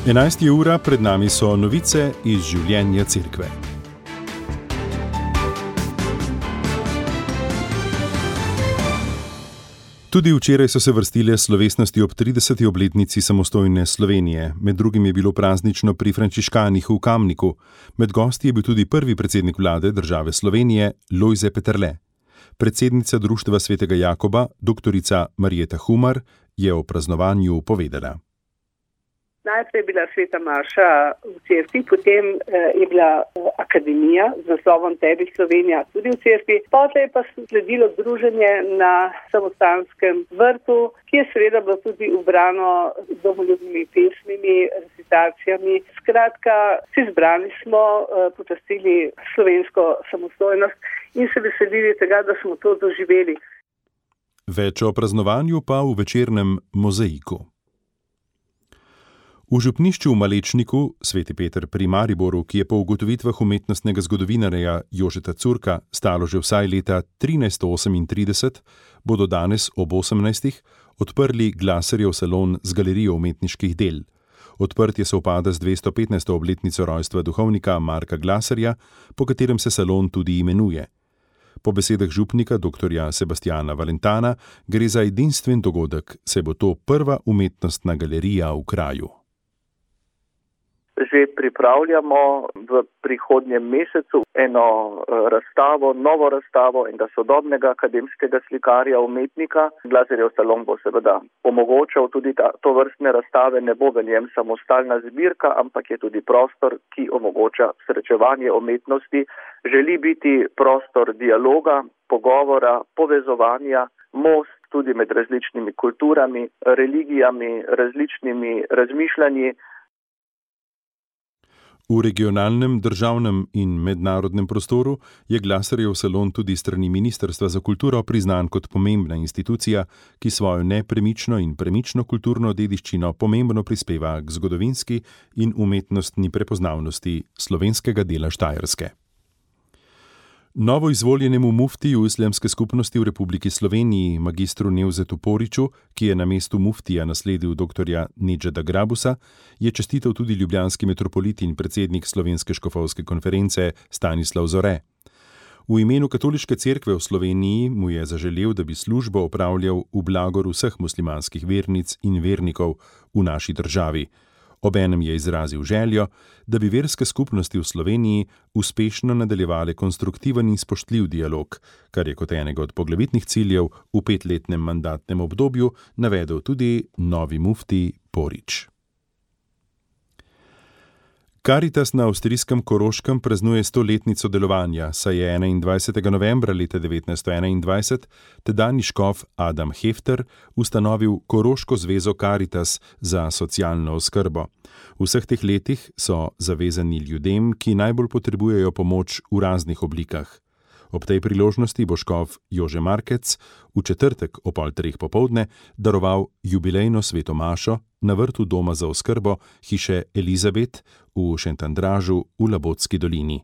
11. ura, pred nami so novice iz življenja cerkve. Tudi včeraj so se vrstile slovesnosti ob 30. obletnici samostojne Slovenije. Med drugim je bilo praznično pri frančiškanih v Kamniku. Med gosti je bil tudi prvi predsednik vlade države Slovenije, Lojze Peterle. Predsednica Društva svetega Jakoba, doktorica Marjeta Humar, je o praznovanju povedala. Najprej je bila sveta maša v cerkvi, potem je bila akademija z naslovom Tebi Slovenija tudi v cerkvi. Potem je pa sledilo druženje na samostanskem vrtu, ki je seveda bilo tudi ubrano z domoljubnimi pesmimi, recitacijami. Skratka, vsi zbrani smo počastili slovensko samostojnost in se veselili tega, da smo to doživeli. Več o praznovanju pa v večernem mozaiku. V župnišču v Malečniku, Sveti Peter pri Mariboru, ki je po ugotovitvah umetnostnega zgodovinarja Jožeta Curka stalo že vsaj leta 1338, bodo danes ob 18. odprli Glasarjev salon z galerijo umetniških del. Odprtje sovpada z 215. obletnico rojstva duhovnika Marka Glasarja, po katerem se salon tudi imenuje. Po besedah župnika dr. Sebastiana Valentana gre za edinstven dogodek, saj bo to prva umetnostna galerija v kraju. Že pripravljamo v prihodnjem mesecu eno razstavo, novo razstavo enega sodobnega akademskega slikarja, umetnika. Glasarjev salon bo seveda omogočal tudi to vrstne razstave, ne bo v njem samo stalna zbirka, ampak je tudi prostor, ki omogoča srečevanje umetnosti. Želi biti prostor dialoga, pogovora, povezovanja, most tudi med različnimi kulturami, religijami, različnimi razmišljanji. V regionalnem, državnem in mednarodnem prostoru je Glasarjev salon tudi strani Ministrstva za kulturo priznan kot pomembna institucija, ki svojo nepremično in premično kulturno dediščino pomembno prispeva k zgodovinski in umetnostni prepoznavnosti slovenskega dela Štajerske. Novo izvoljenemu muftiju Islamske skupnosti v Republiki Sloveniji, magistru Nevzetu Poriću, ki je na mestu muftija nasledil dr. Nedžada Grabusa, je čestital tudi ljubljanski metropolit in predsednik Slovenske škofovske konference Stanislav Zore. V imenu Katoliške cerkve v Sloveniji mu je zaželel, da bi službo opravljal v blagor vseh muslimanskih vernic in vernikov v naši državi. Obenem je izrazil željo, da bi verske skupnosti v Sloveniji uspešno nadaljevale konstruktiven in spoštljiv dialog, kar je kot enega od poglavitnih ciljev v 5-letnem mandatnem obdobju navedel tudi novi mufti Porić. Karitas na avstrijskem Koroškem praznuje 100-letnico delovanja, saj je 21. novembra leta 1921 tedanji škof Adam Hefter ustanovil Koroško zvezo Karitas za socialno oskrbo. V vseh teh letih so zavezani ljudem, ki najbolj potrebujejo pomoč v raznih oblikah. Ob tej priložnosti bo škof Jože Markec v četrtek ob 2:30 popoldne daroval jubilejno sveto mašo na vrtu doma za oskrbo hiše Elizabet v Šentandražu v Labotski dolini.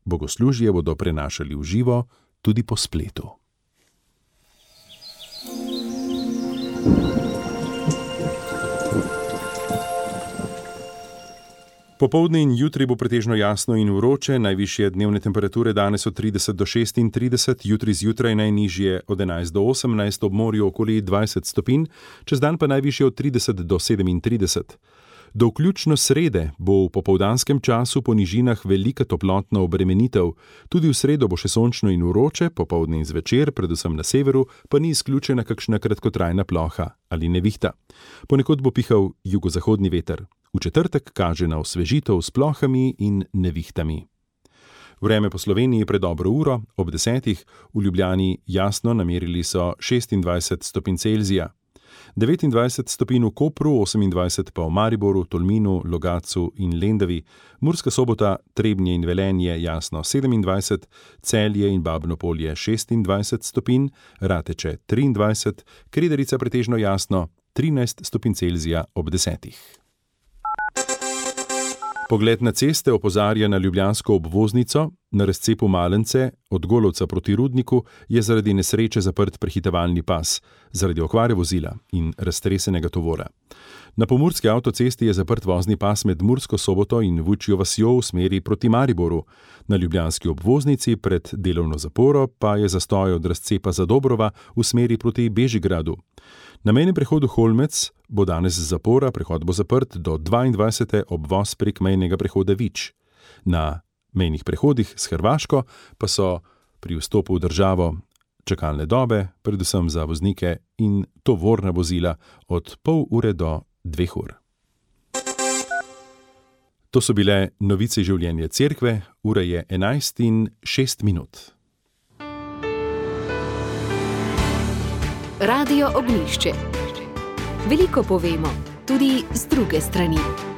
Bogoslužje bodo prenašali v živo tudi po spletu. Popoldne in jutri bo pretežno jasno in vroče, najvišje dnevne temperature danes od 30 do 36, jutri zjutraj najnižje od 11 do 18, ob morju okoli 20 stopinj, čez dan pa najvišje od 30 do 37. Do vključno srede bo v popoldanskem času po nižinah velika toplotna obremenitev, tudi v sredo bo še sončno in vroče, popoldne in zvečer, predvsem na severu, pa ni izključena kakšna kratkotrajna ploha ali nevihta. Ponekod bo pihal jugozahodni veter. V četrtek kaže na osvežitev s plohami in nevihtami. Vreme po Sloveniji pred dobro uro, ob 10. v Ljubljani jasno, namerili so 26 stopinj Celzija. 29 stopinj v Kopru, 28 pa v Mariboru, Tolminu, Logatcu in Lendavi, Murska Sobota, Trebnje in Velenje jasno 27, Celje in Babno Polje 26 stopinj, Rateče 23, Kredarica pretežno jasno 13 stopinj Celzija ob 10. Pogled na ceste opozarja na ljubljansko obvoznico, na razcepu Malence od Golovca proti Rudniku je zaradi nesreče zaprt prehitevalni pas, zaradi okvare vozila in raztresenega tovora. Na pomurski avtocesti je zaprt vozni pas med Mursko Soboto in Vučjo vasjo v smeri proti Mariboru. Na ljubljanski obvoznici pred delovno zaporo pa je zastoj od razcepa Zadobrova v smeri proti Bežigradu. Na mejnem prehodu Holmec bo danes zapora, prehod bo zaprt do 22. obvoz prek mejnega prehoda Vič. Na mejnih prehodih s Hrvaško pa so pri vstopu v državo čakalne dobe, predvsem za voznike in tovorna vozila od pol ure do 2 ur. To so bile novice življenja cerkve, ura je 11:06. Radio Ognjišče. Veliko povemo, tudi z druge strani.